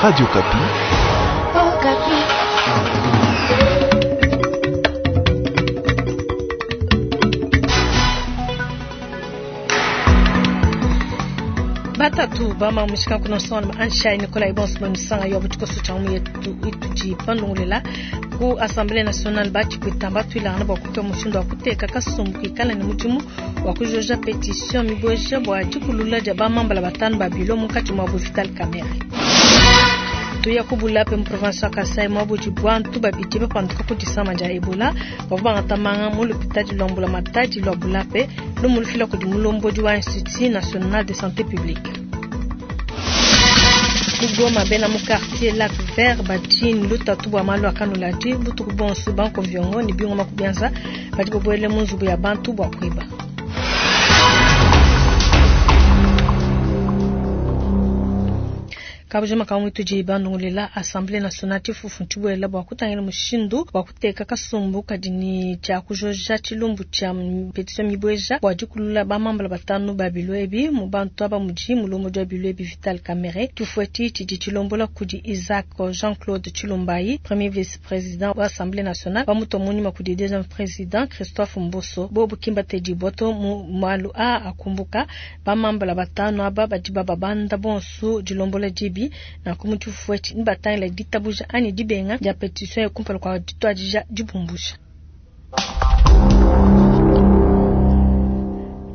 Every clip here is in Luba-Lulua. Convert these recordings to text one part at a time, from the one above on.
Radio Okapi. Okapi. Batatu bama mushika kuna sona anshai Nicolas Ibons manisanga yo butikoso cha mu yetu ituji pandongolela ku Assemblée nationale bachi kwitamba twilana bwa kutoa mushindo wa kuteka kasumbu kikala ni mudimu wa kujoja petition mibweja bwa dikulula dia bamambala batanu ba bilo munkatshi mua Vital Kamerhe. Tuya ku Bulape mu province wa Kasai mwa budi bwantu babidi bapanduka ku disama dia Ebola bavua bangatamanga mu lupitadi lwa mbula matadi lwa Bulape lumu lufila kudi mulombodi wa Institut National de Santé Publique. Ku Goma bena mu quartier Lac Vert badi ne lutatu bua malu a kanuladi butuku bonso banko viongo ne bingoma ku bianza badi babuele mu nzubu ya bantu bua kuiba. Kabujima ka mwituji bandungulela Assemblée nationale tshifufu ntshibuela bua kutangila mushindu wa kuteka kasumbu kadi ni tshia kujoja tshilumbu tshia petition mibweja bua dikulula bamambala batanu ba bilo ebi mu bantu aba mudi mulombodi wa bilo ebi Vital Kamerhe. Tshifueti tshidi tshilombola kudi Isaac Jean-Claude Tshilumbayi, premier vice-président wa Assemblée nationale, bamutua munyima kudi deuxième président Christophe Mboso. Bobu kimba tedi boto mu malu a akumbuka bamambala batanu aba badi bababanda bonso dilombola dibi na kumutufueti nibatangila ditabuja anyi dibenga dia petition ya kumpala kwa dituadija dibumbusha.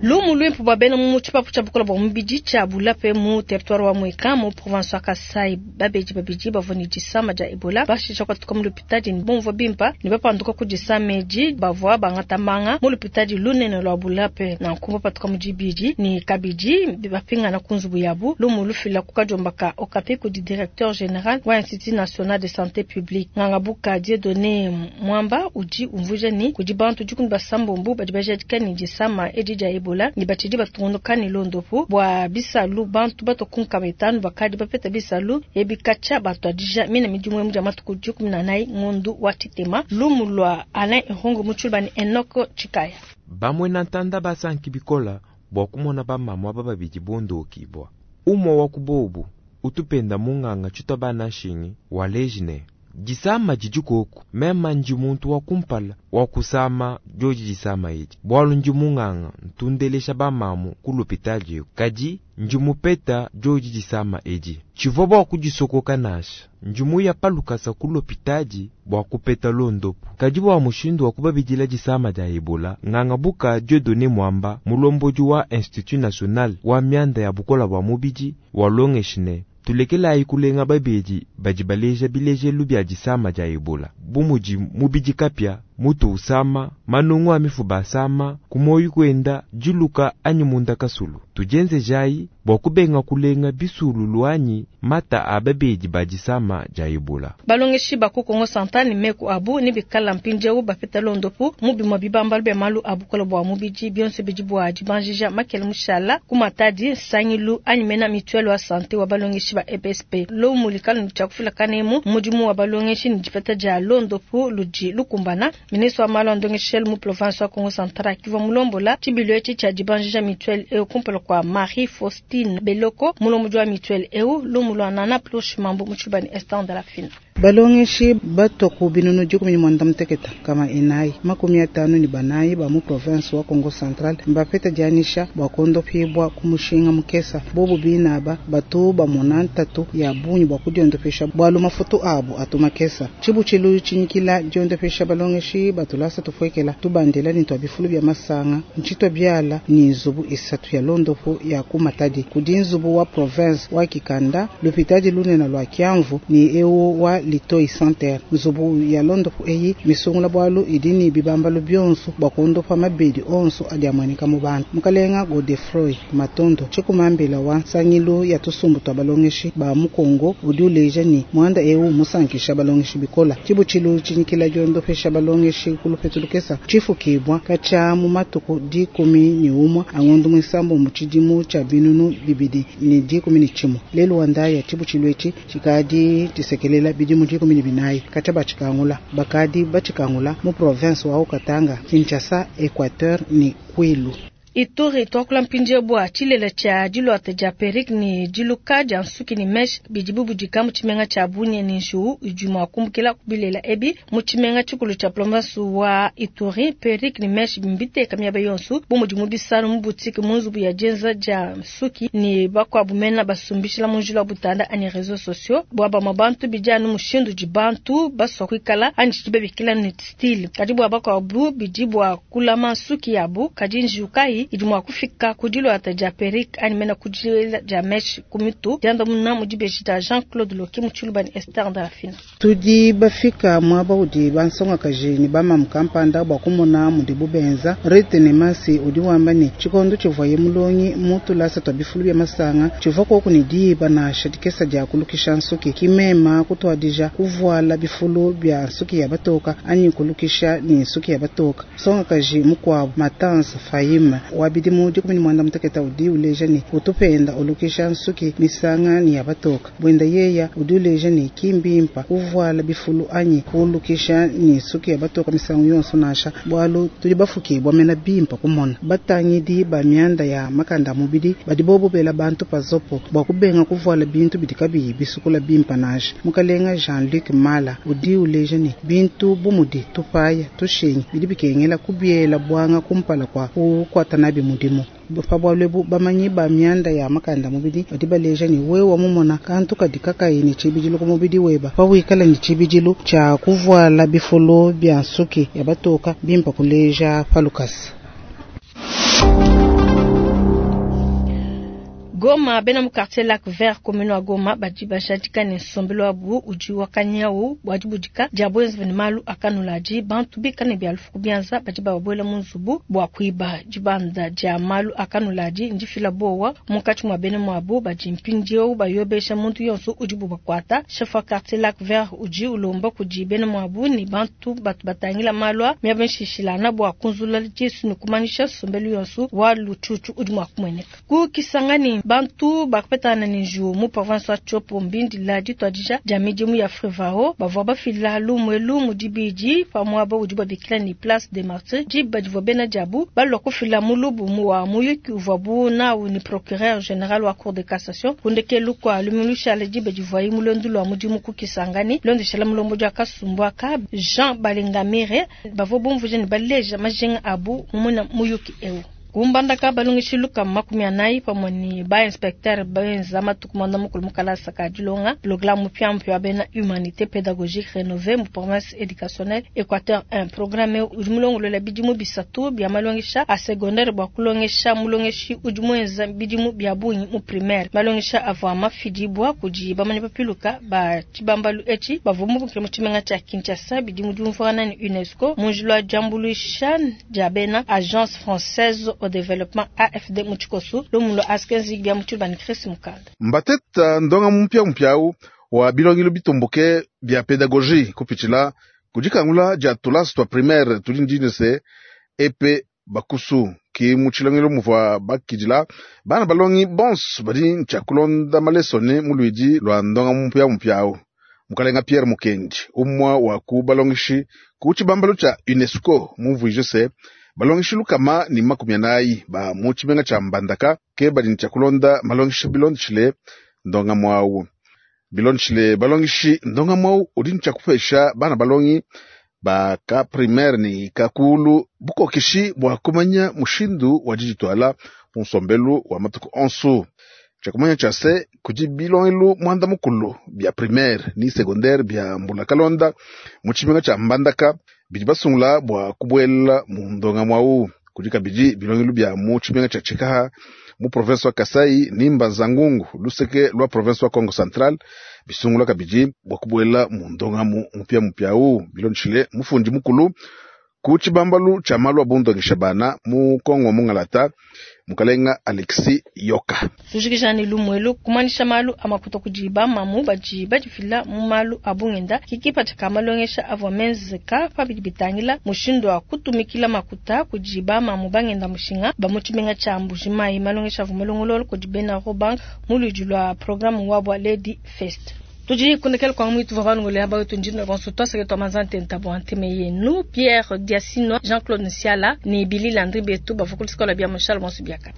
Lumu lwimpu bwa bena mu tshipapu tshia bukola bwa mubidi tshia Bulape mu territoire wa Mweka mu province wa Kasai babedi babidi bavua ne disama dia Ebola bashisha kwatuka mu lupitadi ne bumvua bimpa ne bapanduka ku disama edi bavua bangata manga mu lupitadi lunene lwa Bulape na nkumba patuka mu dibidi ne kabidi bapingana ku nzubu yabu. Lumu lufila ku kadiomba ka Okapi kudi directeur général wa Institut National de Santé Publique Ngangabuka Dieudonné Mwamba udi umvuija ni kudi bantu dikumi basambombo badi bajadika ne disama edi dia Ebola ni batshidi batungunuka ne londopu bua bisalu bantu batokunka betanu bakadi bapeta bisalu ebikacha batuadija mina midimu emu dia matuku 14 ngondu wa tshitema. Lumu lua Alain Ihongo Mutshulba ne Enoch Tshikaya. Bamwe na ntanda basanki bikola bua kumona bamamua ba babidi bondokibwa. Umwe wa kubobu utupenda munganga tshitwa bana nshingi wa lejine. Disama didi koku mema ndi muntu wa kumpala wa kusama dioji disama edi bwalu ndi munganga ntundelesha bamamu ku lopitali eku kadi ndi mupeta dioji disama edi tshivua bua kudisokoka nasha ndi muya palukasa ku lopitali bua kupeta londopu kadi bua mushindu wa kubabidila disama dia Ebola nganga buka Dieudonné Mwamba mulombodi wa Institut National wa mianda ya bukola bua mubidi wa longeshine tulekelayi kulenga babedi badi baleja bilejelu bia disama dia Ebola bu mudi mubidi kapia mutu usama manungu a mifuba asama kumoyi kwenda diluka anyi munda kasulu tujenzejayi bua kubenga kulenga bisululu anyi mata a babedi ba disama dia Ebola. Balongeshi ba ku Kongo Central ne meku abu ne bikala mpindieu bapeta londopu mu bimue bibambalu bia malu a bukola bua mubidi bionso bidi bua dibanjija makele mushala ku Matadi nsangilu anyi mena mutuelle wa santé wa balongeshi ba EPSP. Lumu likala ne tshia kufila kanemu mudimu wa balongeshi ne dipeta dia londopu ludi lukumbana. Ministre wa malu a ndongeshelu mu province wa Kongo Central akivua mulombola tshibilu etshi tshia dibanjija mutuelle eu kumpala kwa Marie Faustine Beloko mulombodi wa mutuelle eu lumu lua Nana Plush Mambu mu Tshibani Estan de la Fina. Balongeshi batwa ku binunu 14 kama enayi 54 ba mu province wa Kongo Central mbapeta dianyisha bua kondopibwa ku mushinga mukesa bobu binaba batu bamona ntatu ya bungi bua kudiondopesha bwalu mafutu abu atu makesa tshibutshilu tshinyikila diondopesha balongeshi batulasa tufuekela tubandela ni twa bifulu bya masanga ntshitwa byala ni nzubu isatu ya londopo ya ku Matadi kudi nzubu wa province wa Kikanda lupitadi lunene lwa Kiamvu ni ewo wa Litoi Center nzubu ya londopo eyi misungula bwalu idi ni bibambalu byonso bwa kondopa mabedi onso adi amweneka mu bantu. Mukalenga Godefroy Matondo tshikumambila wa nsangilu ya tusumbu twa balongeshi ba mu Kongo udi uleja ni mwanda ewu musankisha balongeshi bikola tshibutshilu tshinyikila diondopesha balongeshi kulupetu lukesa tshifukibwa katsha mu matuku 11 angondo mwisambo mu tshidimu tsha 2011 lelu wandaya tshibutshilu etshi tshikadi tshisekelela bidimu 14 katsha batshikangula bakadi batshikangula mu province wa Haut-Katanga, Kinshasa, Equateur ni Kwilu. Ituri, tuakula mpindieu bua tshilele tshia diluata dia perruque ne diluka dia nsuki ne mèche bidi bubudika mu tshimenga tshia Bunia ne njiwu idi mua kumbukila ku bilela ebi mu tshimenga tshikulu tshia province wa Ituri. Perruque ne mèche mbiteka miaba yonso bu mudi mu bisalu, mu boutique, mu nzubu ya dienza dia nsuki ne bakuabu mena basumbishila mu njila wa butanda anyi réseaux sociaux. Bua bamue bantu bidi anu mushindu udi bantu basua kuikala anyi tshidi babikila ne style, kadi bua bakuabu bidi bua kulama nsuki yabu. Kadi njiwu kayi idi mua kufika ku diluata dia perruque anyi mena ku diela dia mèche ku mitu? Diandamuna mu dibeji dia Jean-Claude Loki mu Tshiluba ne Esther Ndalafina. Tudi bafika muaba udi bansongakaji ne bamamu kampanda bua kumona mudibu benza. Rite ne Masi udi wamba ne, tshikondo tshivuaye mulongi mu tulasa tua bifulu bia masanga, tshivua koku ne diba nansha dikesa dia kulukisha nsuki. Ki mema kutuadija kuvuala bifulu bia nsuki ya batoka anyi kulukisha ne nsuki ya batoka. Nsongakaji mukuabu Matans Fahim wa bidimu 18 udi uleja ne utupenda ulukisha nsuki misanga ne ya batoka. Buenda yeya udi uleja ne ki mbimpa kuvuala bifulu anyi kulukisha ne nsuki ya batoka misangu yonso nansha, bualu tudi bafukibua mena bimpa kumona. Batangidi ba mianda ya makanda a mubidi badi bobu bela bantu pazopo bua kubenga kuvuala bintu bidi kabiyi bisukula bimpa nansha. Mukalenga Jean-Luc Mala udi uleja ne bintu bu mudi tupaya tushinyi bidi bikengela kubiela buanga kumpala kua kukuata nabi mudimu. Pa bualu ebu bamanyi ba mianda ya makanda mubidi badi baleja ne wewe mumona kantu kadi kakayi ne tshibidilu ku mubidi weba, pa wikala ne tshibidilu tshia kuvuala bifulu bia nsuki ya batoka bimpa kuleja pa lukasa. Goma, bena mu quartier Lac Vert commune wa Goma badi bajadika ne nsombelu wabu udi wakanyau bua dibudika dia buenzi ne malu akanuladi. Bantu bikale ne bia lufu bianza badi bababuela mu nzubu bua kuiba. Dibanda dia malu akanuladi ndifila bowa munkatshi mua bena muabu badi mpindieu bayobesha muntu yonso udibu bakuata. Chef wa quartier Lac Vert udi ulomba kudi bena muabu ne bantu batu batangila malu a miaba mishishilana bua kunzula disu ne kumanyisha nsombelu yonso wa lutshutshu udi mua kumueneka. Ku Kisangani, bantu bakapetana ne njiwu mu province wa Tshopo mbindila dituadija dia midimu ya Frevao. Bavua bafila lumuelu mu dibidi pa muaba udi babikila ne Place des Martyrs, diba divua bena diabu balua kufila mulubu wa muyuki uvuabu nawu ne procureur général wa cour de cassation ku ndekelu kua lumingu lushala diba divuaye mu luendu lua mudimu ku Kisangani. Londeshela mulombodi wa kasumbu aka Jean Balingamire, bavua bumvuija ne baleja majinga abu mu muyuki eu. Kumbandaka balongeshi lukama 40 pamue ne ba inspecteur benza matuku 90 mu kalasa ka dilonga programme mupiamupia wa bena humanité pédagogique rénovée mu province éducationnelle Équateur 1. Programme udi mulongolola bidimu bisatu bia malongesha a secondaire bua kulongesha mulongeshi udi muenza bidimu bia bungi mu primaire. Malongesha avua mafidibua kudi bamanyi bapiluka ba tshibambalu etshi bavua mubukile mu tshimenga tshia Kinshasa bidimu diumvuangana ne UNESCO mu njila wa diambuluisha dia bena Agence Française au Développement AFD mu tshikosu lumulo askenzi bia mu tshiluba ne Chris Mukanda. Mbateta ndonga mupya mupyau wa bilongelo bitumbuke bia pedagogie kupitshila kudikangula dia tulasa tua primaire tudi ndine se epe bakusu ki mu tshilongelo muvua bakidila bana balongi bonso badi ntshia kulonda malesone mu luidi lua ndonga mupya mupyau. Mukalenga Pierre Mukendi umwa wa ku balongeshi ku tshibambalu tshia UNESCO mumvuije se balongeshi 140 ba mu tshimenga tshia Mbandaka ke badi ntshia kulonda malongesha bilondeshile ndonga mwawu. Bilondeshile balongeshi ndonga mwawu udi ntshia kupesha bana balongi ba ka primaire ni kakulu bukokeshi bua kumanya mushindu wa diditwala mu nsombelu wa matuku onso. Tshia kumanya tshia se kudi bilongelo mwanda mukulu bia primaire ni secondaire bia mbula kalonda mu tshimenga tshia Mbandaka bidi basungula bua kubuela mu ndonga mwawu. Kudi kabidi bilongelo bia mu tshimenga tshia Tshikaha mu province wa Kasai ni Mbanza-Ngungu luseke lwa province wa Kongo Central bisungula kabidi bua kubuela mu ndonga mu mupya mupyau. Bilondeshile mufundi mukulu ku tshibambalu tshia malu a bundongesha bana mu Kongo mungalata mukalenga Alexis Yoka. Tujikijani lumuelu kumanyisha malu a makuta kudi bamamu badi badifila mu malu a bungenda kikipa tshika malongesha avua menzeka pa bidi bitangila mushindu wa kutumikila makuta kudi bamamu bangenda mushinga ba mu tshimenga tshia Mbujimayi. Malongesha avua malongololo kudi bena Robank mu luidi lua programme wa bua Lady Fest. Tudi kundekela kwa mwitu vavanungule aba wetu ndino bonso twasake twa manzante ntabo anteme yenu Pierre Diasino, Jean-Claude Nsiala ni Billy Landry betu bavukulu sikola bia Moshal bonso biaka.